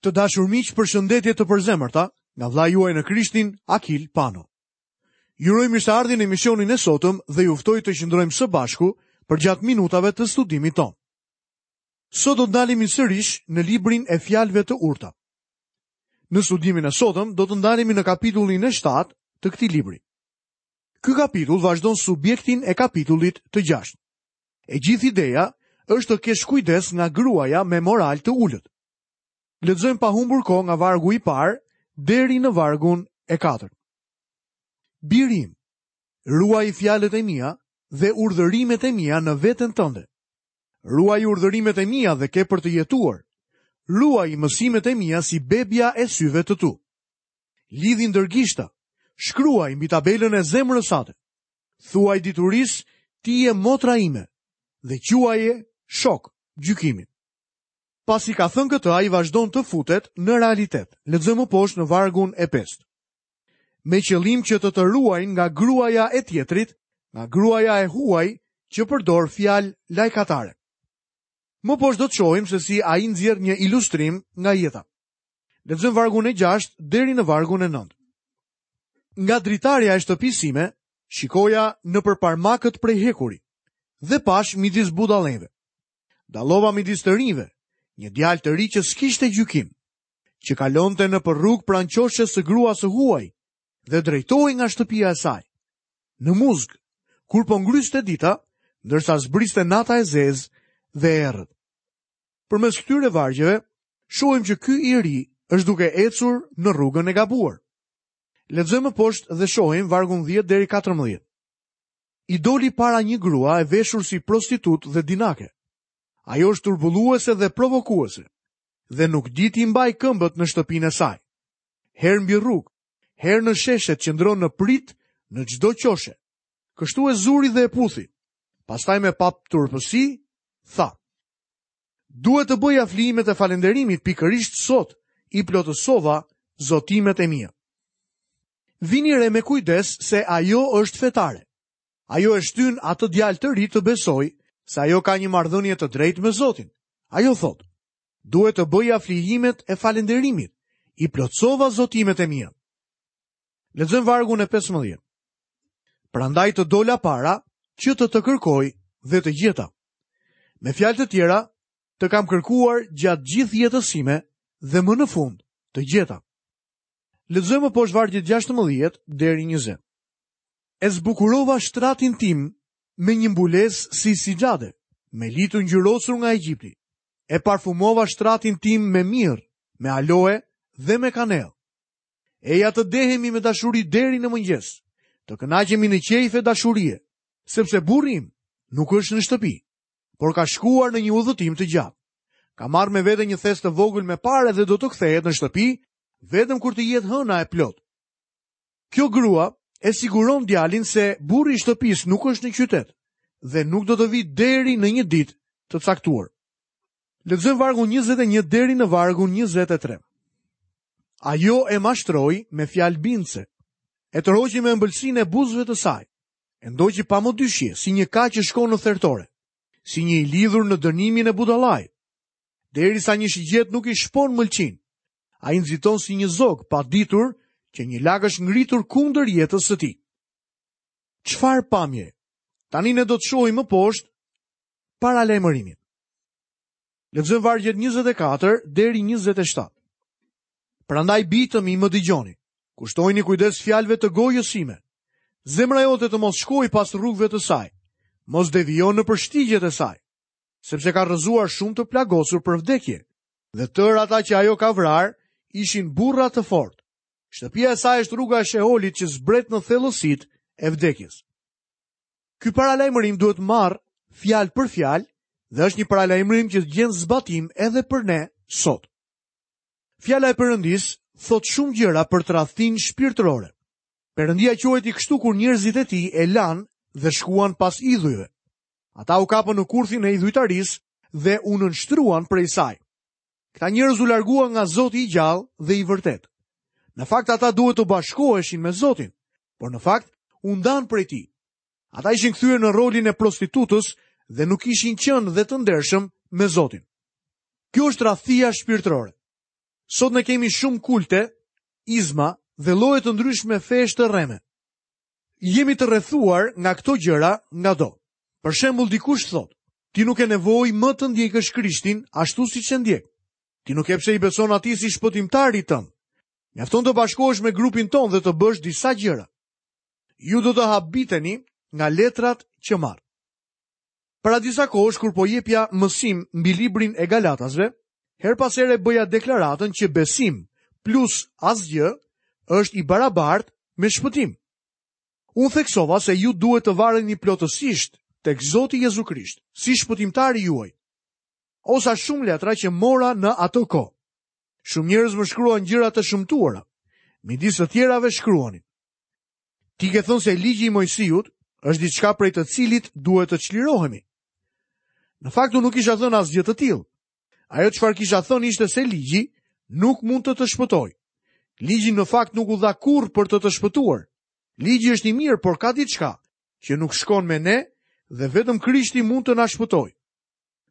Të dashur miq, përshëndetje të përzemërta nga vëllai juaj në Krishtin, Akil Pano. Ju uroj mirëseardhjen në emisionin e sotëm dhe ju ftoj të qëndrojmë së bashku përgjatë minutave të studimit tonë. Sot do të ndalemi sërish në librin e fjalëve të urta. Në studimin e sotëm do të ndalemi në kapitullin e 7 të këtij libri. Ky kapitull vazhdon subjektin e kapitullit të 6. E gjithë ideja është të kesh kujdes nga gruaja me moral të ulët. Lexojmë pa humbur kohë nga vargu i parë deri në vargun e katërt. Biri im, ruaji fjalët e mia dhe urdhërimet e mia në veten tënde. Ruaji urdhërimet e mia dhe ke për të jetuar. Ruaji mësimet e mia si bebja e syve të tu. Lidhi ndër gishta, shkruaji mbi tabelën e zemrës sate. Thuaj diturisë, ti je motra ime dhe quaje shok gjykimin. Pasi ka thënë këtë, ai vazhdon të futet në realitet. Lexojmë më poshtë në vargun e pestë. Me qëllim që të të ruajnë nga gruaja e tjetrit, nga gruaja e huaj që përdor fjalë lajkatare. Më poshtë do të shohim se si ai nxjerr një ilustrim nga jeta. Lexojmë vargun e 6 deri në vargun e 9. Nga dritarja e shtëpisë sime, shikoja nëpër parmakët prej hekuri dhe pashë midis budallenjve. Dallova midis të rinjve, një djalë të ri që s'kishte gjykim, që kalonte nëpër rrugë pranë qoshes së gruas së huaj dhe drejtohej nga shtëpia e saj. Në muzg, kur po ngryste dita, ndërsa zbriste nata e zezë dhe e errët. Përmes këtyre vargjeve, shohim që ky i ri është duke ecur në rrugën e gabuar. Lexojmë më poshtë dhe shohim vargun 10 deri 14. I doli para një grua e veshur si prostitutë dhe dinake. Ajo është turbulluese dhe provokuese dhe nuk di t'i mbajë këmbët në shtëpinë e saj. Herë mbi rrugë, herë në sheshet qëndron në pritë në çdo qoshe. Kështu e zuri dhe e puthi. Pastaj me paturpësi tha: Duhet të bëj flijimet e falënderimit pikërisht sot i plotësova zotimet e mia. Vini re me kujdes se ajo është fetare. Ajo e shtyn atë djalë të ri të besojë se ajo ka një marrëdhënie të drejtë me Zotin. Ajo thotë, duhet të bëja flijimet e falënderimit, i plotësova zotimet e mia. Lexojmë vargun e 15. Prandaj të dola para që të të kërkoj dhe të gjeta. Me fjalë të tjera, të kam kërkuar gjatë gjithë jetës sime dhe më në fund të gjeta. Lexojmë më poshtë vargjet 16 deri 20. E zbukurova shtratin tim me një mbulesë si sixhade, me li të ngjyrosur nga Egjipti. E parfumova shtratin tim me mirë, me aloe dhe me kanellë. Eja të dehemi me dashuri deri në mëngjes, të kënaqemi në qejfe dashurie, sepse burri im nuk është në shtëpi, por ka shkuar në një udhëtim të gjatë. Ka marrë me vete një thes të vogël me pare dhe do të kthehet në shtëpi vetëm kur të jetë hëna e plotë. Kjo grua e siguron djalin se burri i shtëpisë nuk është në qytet dhe nuk do të vijë deri në një ditë të caktuar. Lexojmë vargun 21 deri në vargun 23. Ajo e mashtroi me fjalë bindëse. E tërhoqi me ëmbëlsinë e buzëve të saj. E ndoqi pa mëdyshje, si një ka që shkon në thertore, si një i lidhur në dënimin e budallait. Derisa një shigjetë nuk i shpon mëlçinë. Ai nxiton si një zog, pa ditur që një lak është ngritur kundër jetës së tij. Çfarë pamje? Tani ne do të shohim më poshtë paralajmërimin. Lexojmë vargjet 24 deri 27. Prandaj bij të mi më dëgjoni. Kushtojini kujdes fjalëve të gojës sime. Zemra jote të mos shkojë pas rrugëve të saj. Mos devijo nëpër shtigjet e saj, sepse ka rrëzuar shumë të plagosur për vdekje. Dhe tërë ata që ajo ka vrarë ishin burra të fortë. Shtëpia e saj është rruga e Sheolit që zbret në thellësitë e vdekjes. Ky paralajmërim duhet marrë fjalë për fjalë dhe është një paralajmërim që gjen zbatim edhe për ne sot. Fjala e Perëndisë thotë shumë gjëra për tradhtinë shpirtërore. Perëndia quajti kështu kur njerëzit e tij e lanë dhe shkuan pas idhujve. Ata u kapën në kurthin e idhujtarisë dhe u nënshtruan prej saj. Këta njerëz u larguan nga Zoti i gjallë dhe i vërtetë. Në fakt ata duhet të bashkoheshin me Zotin, por në fakt u ndanë prej tij. Ata ishin kthyer në rolin e prostitutës dhe nuk ishin qenë dhe të ndershëm me Zotin. Kjo është tradhtia shpirtërore. Sot ne kemi shumë kulte, izma dhe lloje të ndryshme fesh të rreme. Jemi të rrethuar nga këto gjëra ngado. Për shembull, dikush thotë, ti nuk ke nevojë më të ndjekësh Krishtin ashtu siç e ndjek. Ti nuk ke pse i beson atij si shpëtimtarit tënd. Mjafton të bashkohesh me grupin tonë dhe të bësh disa gjëra. Ju do të habiteni nga letrat që marr. Para disa kohësh kur po jepja mësim mbi librin e Galatasve, herë pas here bëja deklaratën që besim plus asgjë është i barabartë me shpëtim. Unë theksova se ju duhet të vareni plotësisht tek Zoti Jezu Krisht, si shpëtimtari juaj. O sa shumë letra që mora në atë kohë. Shumë njerëz më shkruan gjëra të shëmtuara. Midis të tjerave shkruanin. Ti ke thënë se ligji i Moisiut është diçka prej të cilit duhet të çlirohemi. Në fakt unë nuk kisha thënë asgjë të tillë. Ajo çfarë kisha thënë ishte se ligji nuk mund të të shpëtojë. Ligji në fakt nuk u dha kurrë për të të shpëtuar. Ligji është i mirë, por ka diçka që nuk shkon me ne dhe vetëm Krishti mund të na shpëtojë.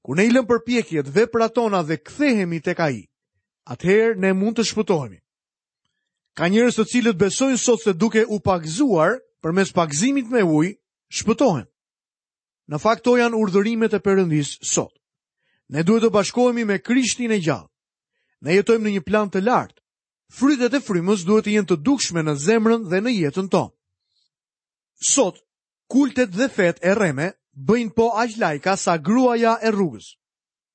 Kur ne i lëmë përpjekjet, veprat tona dhe kthehemi tek Ai, atëherë ne mund të shpëtohemi. Ka njerëz të cilët besojnë sot se duke u pagëzuar përmes pagëzimit me ujë, shpëtohen. Në fakt këto janë urdhërimet e Perëndisë sot. Ne duhet të bashkohemi me Krishtin e gjallë. Ne jetojmë në një plan të lartë. Frytet e frymës duhet të jenë të dukshme në zemrën dhe në jetën tonë. Sot, kultet dhe fetë e rreme bëjnë po aq lajka sa gruaja e rrugës.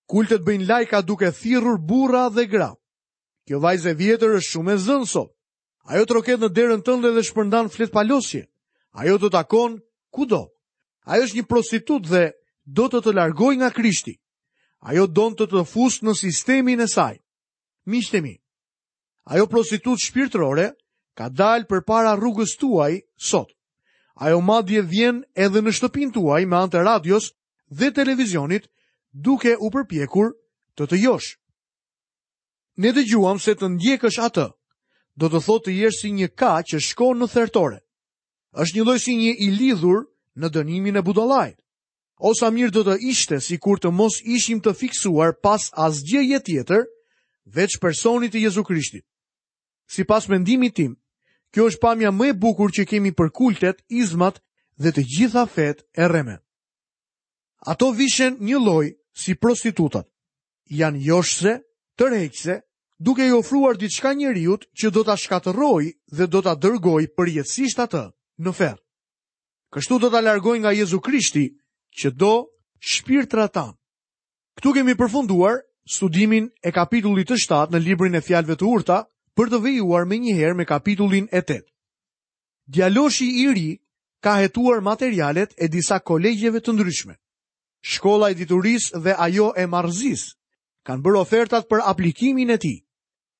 Kultet bëjnë lajka duke thirrur burra dhe gra. Kjo vajzë e vjetër është shumë e zënë sot. Ajo troket në derën tënde dhe shpërndan fletëpalosje. Ajo të takon kudo. Ajo është një prostitutë dhe do të të largojë nga Krishti. Ajo don të të fusë në sistemin e saj. Miqtë e mi, ajo prostitutë shpirtërore ka dalë përpara rrugës tuaj sot. Ajo madje vjen edhe në shtëpinë tuaj me anë të radios dhe televizionit duke u përpjekur të të joshë. Ne dëgjuam se të ndjekësh atë, do të thotë të jesh si një ka që shkon në thertore. Është njëlloj si një i lidhur në dënimin e budallait. O sa mirë do të ishte sikur të mos ishim të fiksuar pas asgjëje tjetër, veç personit të Jezu Krishtit. Sipas mendimit tim, kjo është pamja më e bukur që kemi për kultet, izmat dhe të gjitha fetë e rreme. Ato vishen njëlloj si prostitutat. Janë joshëse, tërheqëse, duke i ofruar diçka njeriut që do ta shkatërrojë dhe do ta dërgojë përjetësisht atë në ferr. Kështu do ta largojnë nga Jezu Krishti që do shpirtrat tanë. Këtu kemi përfunduar studimin e kapitullit të 7 në librin e fjalëve të urta për të vijuar menjëherë me kapitullin e 8. Djaloshi i ri ka hetuar materialet e disa kolegjeve të ndryshme. Shkolla e diturisë dhe ajo e marrëzisë kanë bërë ofertat për aplikimin e tij.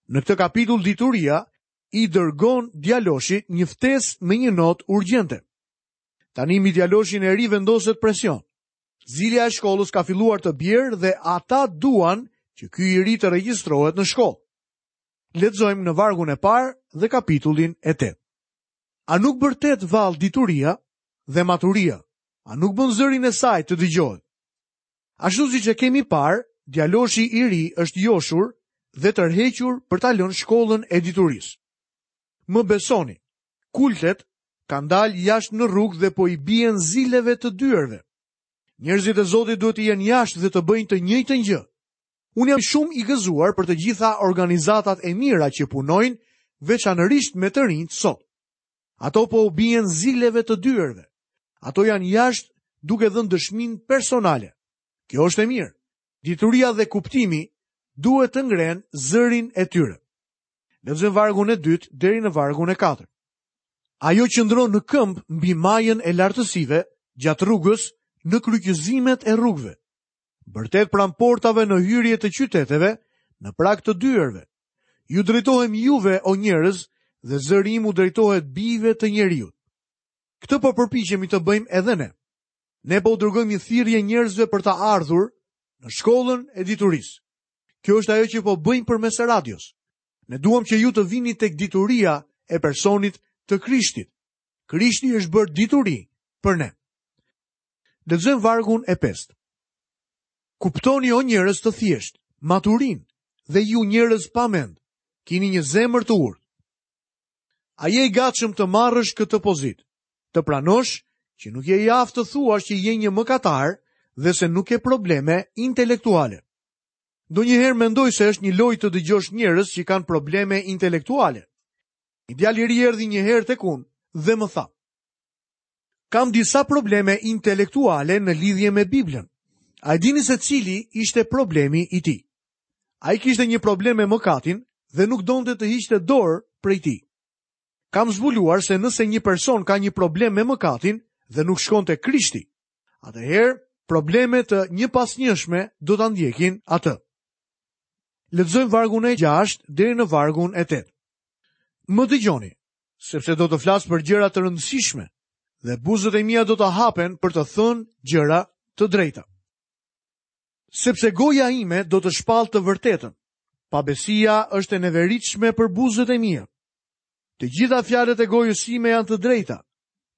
Në këtë kapitull dituria i dërgon djaloshit një ftesë me një notë urgjente. Tani mbi djaloshin e ri vendoset presion. Zilja e shkollës ka filluar të bjerë dhe ata duan që ky i ri të regjistrohet në shkollë. Lexojmë në vargun e parë dhe kapitullin e 8. A nuk bërtet vallë dituria dhe maturia? A nuk bën zërin e saj të dëgjohet? Ashtu siç e kemi parë, djaloshi i ri është joshur dhe tërhequr për ta lënë shkollën e diturisë. Më besoni, kultet kanë dalë jashtë në rrugë dhe po i bien zileve të dyerve. Njerëzit e Zotit duhet të jenë jashtë dhe të bëjnë të njëjtën gjë. Unë jam shumë i gëzuar për të gjitha organizatat e mira që punojnë veçanërisht me të rinjtë sot. Ato po u bien zileve të dyerve. Ato janë jashtë duke dhënë dëshminë personale. Kjo është e mirë. Dituria dhe kuptimi duhet të ngrenë zërin e tyre. Lexojmë vargun e dytë deri në vargun e katërt. Ajo qëndron në këmbë mbi majën e lartësive gjatë rrugës në kryqëzimet e rrugëve. Bërtet pranë portave në hyrje të qyteteve, në prag të dyerve. Ju drejtohem juve, o njerëz, dhe zëri im u drejtohet bijve të njeriut. Këtë po përpiqemi të bëjmë edhe ne. Ne po u dërgojmë një thirrje njerëzve për të ardhur në shkollën e diturisë. Kjo është ajo që po bëjmë përmes radios. Ne duam që ju të vini tek dituria e personit të Krishtit. Krishti është bërë dituri për ne. Lexojmë vargun e pestë. Kuptoni o njerëz të thjeshtë, maturinë dhe ju njerëz pa mend. Kini një zemër të urtë. A je i gatshëm të marrësh këtë pozitë? Të pranosh që nuk je i aftë të thuash që je një mëkatar dhe se nuk ke probleme intelektuale. Ndonjëherë mendoj se është një lojë të dëgjosh njerëz që kanë probleme intelektuale. Një djalë i ri erdhi një herë tek unë dhe më tha: Kam disa probleme intelektuale në lidhje me Biblën. A e dini se cili ishte problemi i tij? Ai kishte një problem me mëkatin dhe nuk donte të hiqte dorë prej tij. Kam zbuluar se nëse një person ka një problem me mëkatin dhe nuk shkon te Krishti, atëherë probleme të njëpasnjëshme do ta ndjekin atë. Lexojmë vargun e 6 deri në vargun e 8. Më dëgjoni, sepse do të flas për gjëra të rëndësishme dhe buzët e mia do të hapen për të thënë gjëra të drejta. Sepse goja ime do të shpallë të vërtetën. Pabesia është e neveritshme për buzët e mia. Të gjitha fjalët e gojës sime janë të drejta.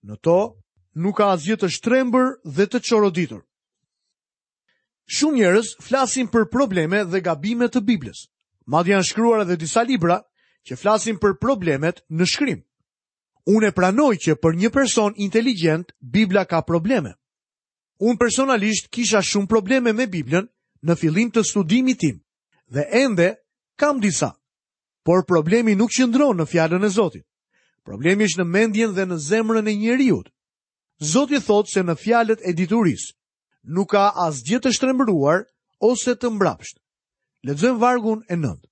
Në to nuk ka asgjë të shtrembër dhe të çoroditur. Shumë njerëz flasin për probleme dhe gabime të Biblës. Madje janë shkruar edhe disa libra që flasin për problemet në shkrim. Unë e pranoj që për një person inteligjent Bibla ka probleme. Unë personalisht kisha shumë probleme me Biblën në fillim të studimit tim dhe ende kam disa. Por problemi nuk qëndron në fjalën e Zotit. Problemi është në mendjen dhe në zemrën e njeriut. Zoti thotë se në fjalët e diturisë nuk ka asgjë të shtrembëruar ose të mbrapshtë. Lexojmë vargun e 9.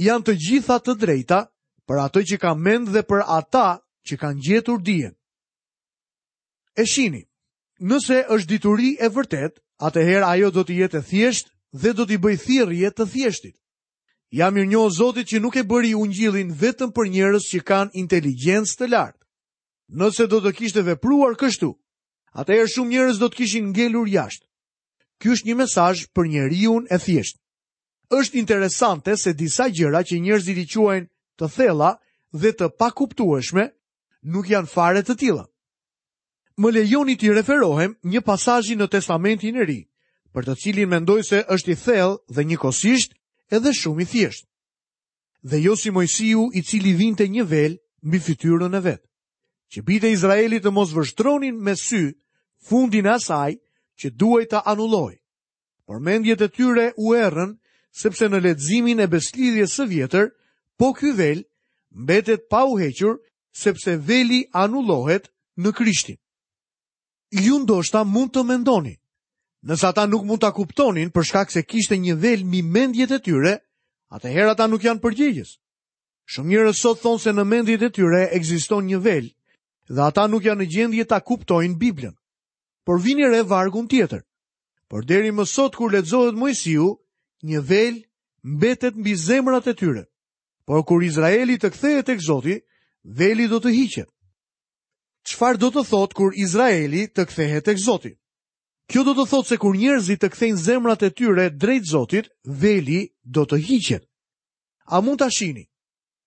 Janë të gjitha të drejta për atë që ka mend dhe për ata që kanë gjetur dijen. E shihni, nëse është dituri e vërtetë, atëherë ajo do të jetë e thjeshtë dhe do t'i bëjë thirrje të thjeshtit. Jam mirënjohës Zotit që nuk e bëri ungjillin vetëm për njerëz që kanë inteligjencë të lartë. Nëse do të kishte vepruar kështu, atëherë shumë njerëz do të kishin ngelur jashtë. Ky është një mesazh për njeriun e thjeshtë. Është interesante se disa gjëra që njerëzit i quajnë të thella dhe të pakuptueshme, nuk janë fare të tilla. Më lejoni t'i referohem një pasazhi në Testamentin e Ri, për të cilin mendoj se është i thellë dhe njëkohësisht edhe shumë i thjeshtë. Dhe jo si Moisiu i cili vinte një vel mbi fytyrën e vet, që bijtë e Izraelit të mos vështronin me sy fundin e asaj që duhej të anullohej. Por mendjet e tyre u errën, sepse në leximin e besëlidhjes së vjetër, po ky vel mbetet pa u hequr, sepse veli anullohet në Krishtin. Ju ndoshta mund të mendoni, nëse ata nuk mund ta kuptonin për shkak se kishte një vel mbi mendjet e tyre, atëherë ata nuk janë përgjegjës. Shumë njerëz sot thonë se në mendjet e tyre ekziston një vel dhe ata nuk janë në gjendje ta kuptojnë Biblën. Por vini re vargun tjetër. Por deri më sot kur lexohet Moisiu, një vel mbetet mbi zemrat e tyre. Por kur Izraeli të kthehet tek Zoti, veli do të hiqet. Çfarë do të thotë kur Izraeli të kthehet tek Zoti? Kjo do të thotë se kur njerëzit të kthejnë zemrat e tyre drejt Zotit, veli do të hiqet. A mund ta shihni?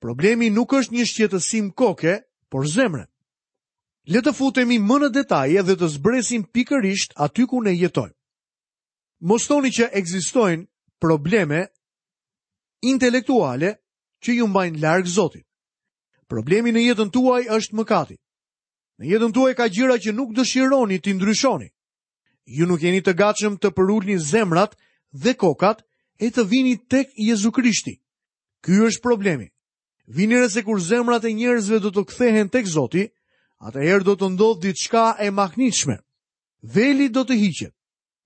Problemi nuk është një shqetësim koke, por zemre. Le të futemi më në detaje dhe të zbresim pikërisht aty ku ne jetojmë. Mos thoni që ekzistojnë probleme intelektuale që ju mbajnë larg Zotit. Problemi në jetën tuaj është mëkati. Në jetën tuaj ka gjëra që nuk dëshironi t'i ndryshoni. Ju nuk jeni të gatshëm të përulni zemrat dhe kokat e të vini tek Jezu Krishti. Ky është problemi. Vini re se kur zemrat e njerëzve do të kthehen tek Zoti, atëherë do të ndodhë diçka e mahnitshme. Veli do të hiqet.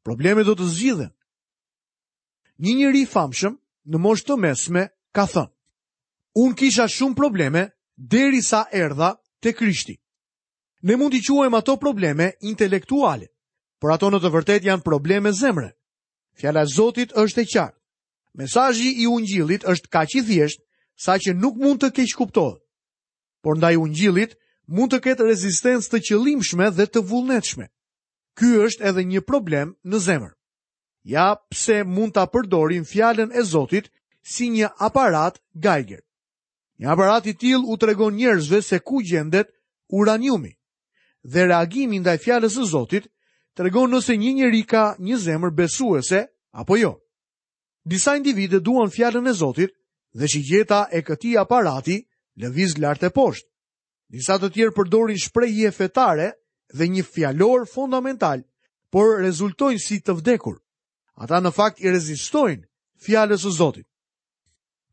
Problemet do të zgjidhen. Një njeri i famshëm në moshë të mesme ka thënë: Unë kisha shumë probleme derisa erdha te Krishti. Ne mund t'i quajmë ato probleme intelektuale, por ato në të vërtetë janë probleme zemre. Fjala e Zotit është e qartë. Mesazhi i Ungjillit është kaq i thjeshtë saqë nuk mund të keqkuptohet. Por ndaj Ungjillit mund të ketë rezistencë të qëllimshme dhe të vullnetshme. Ky është edhe një problem në zemër. Ja pse mund ta përdorim fjalën e Zotit si një aparat Geiger. Një aparat i tillë u tregon njerëzve se ku gjendet uraniumi. Dhe reagimi ndaj fjalës së Zotit tregon nëse një njeri ka një zemër besuese apo jo. Disa individë duan fjalën e Zotit, Dhe shigjeta e këtij aparati lëviz lart e poshtë. Disa të tjerë përdorin shprehje fetare dhe një fjalor fondamental, por rezultojnë si të vdekur. Ata në fakt i rezistojnë fjalës së Zotit.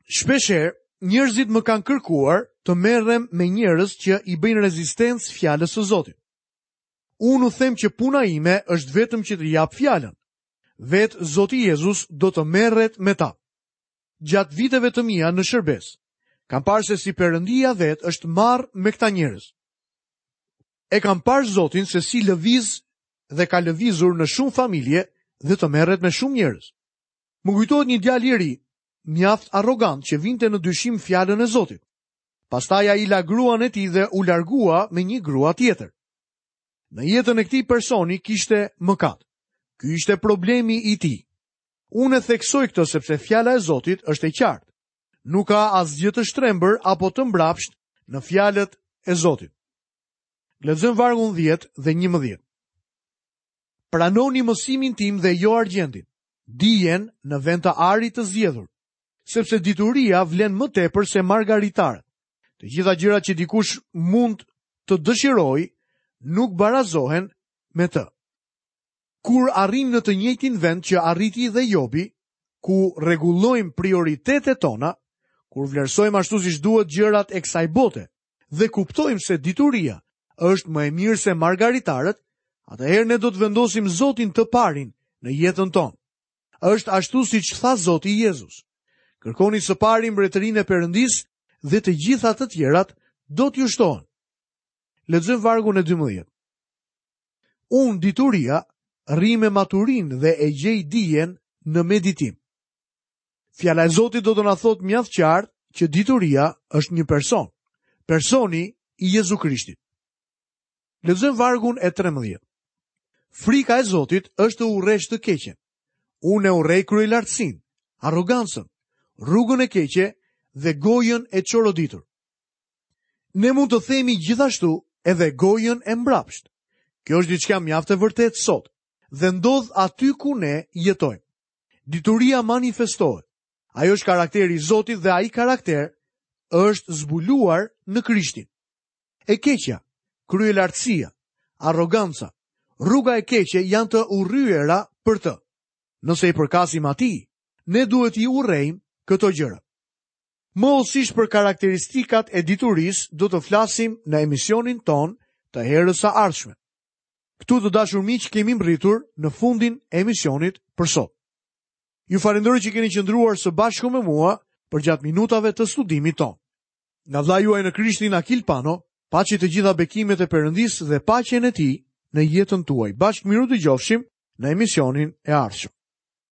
Shpeshherë, njerëzit më kanë kërkuar të merrem me njerëz që i bëjnë rezistencë fjalës së Zotit. Unë u them që puna ime është vetëm që të jap fjalën. Vetë Zoti Jezus do të merret me ta. Gjatë viteve të mia në shërbesë, kam parë se si Perëndia vetë është marrë me këta njerëz. E kam parë Zotin se si lëviz dhe ka lëvizur në shumë familje dhe të merret me shumë njerëz. Më kujtohet një djalë i ri, mjaft arrogant që vinte në dyshim fjalën e Zotit. Pastaj ai la gruan e tij dhe u largua me një grua tjetër. Në jetën e këtij personi kishte mëkat. Ky ishte problemi i tij. Unë e theksoj këtë sepse fjala e Zotit është e qartë. Nuk ka asgjë të shtrembër apo të mbrapsht në fjalët e Zotit. Lexojmë vargun 10 dhe 11. Pranoni mësimin tim dhe jo argjendin, dijen në vend të arit të zgjedhur, sepse dituria vlen më tepër se margaritarët. Të gjitha gjërat që dikush mund të dëshirojë nuk barazohen me të. Kur arrijmë në të njëjtin vend që arriti dhe Jobi, ku rregullojmë prioritetet tona, kur vlerësojmë ashtu siç duhet gjërat e kësaj bote dhe kuptojmë se dituria është më e mirë se margaritarët, atëherë ne do të vendosim Zotin të parin në jetën tonë. Është ashtu siç tha Zoti Jezus. Kërkoni së pari mbretërinë e Perëndisë dhe të gjitha të tjerat do t'ju shtohen. Lexojmë vargun e 12. Unë dituria rri me maturinë dhe e gjej dijen në meditim. Fjala e Zotit do të na thotë mjaft qartë që dituria është një person, personi i Jezu Krishtit. Lexojmë vargun e 13. Frika e Zotit është të urresh të keqen. Unë e urrej kryelartësinë, arrogancën, rrugën e keqe dhe gojën e çoroditur. Ne mund të themi gjithashtu edhe gojën e mbrapsht. Kjo është diçka mjaft e vërtetë sot dhe ndodh aty ku ne jetojmë. Dituria manifestohet. Ajo është karakteri i Zotit dhe ai karakter është zbuluar në Krishtin. E keqja, kryelartësia, arroganca, rruga e keqe janë të urryera për të. Nëse i përkasim atij, ne duhet t'i urrejmë këto gjëra. Më hollësisht për karakteristikat e diturisë do të flasim në emisionin tonë të herës së ardhshme. Këtu të dashur miq kemi mbërritur në fundin e emisionit për sot. Ju falenderoj që keni qëndruar së bashku me mua përgjatë minutave të studimit tonë. Nga vëllai juaj në Krishtin Akil Pano, paçi të gjitha bekimet e Perëndisë dhe paqen e tij në jetën tuaj. Bashkë mirudëgjofshim në emisionin e ardhshëm.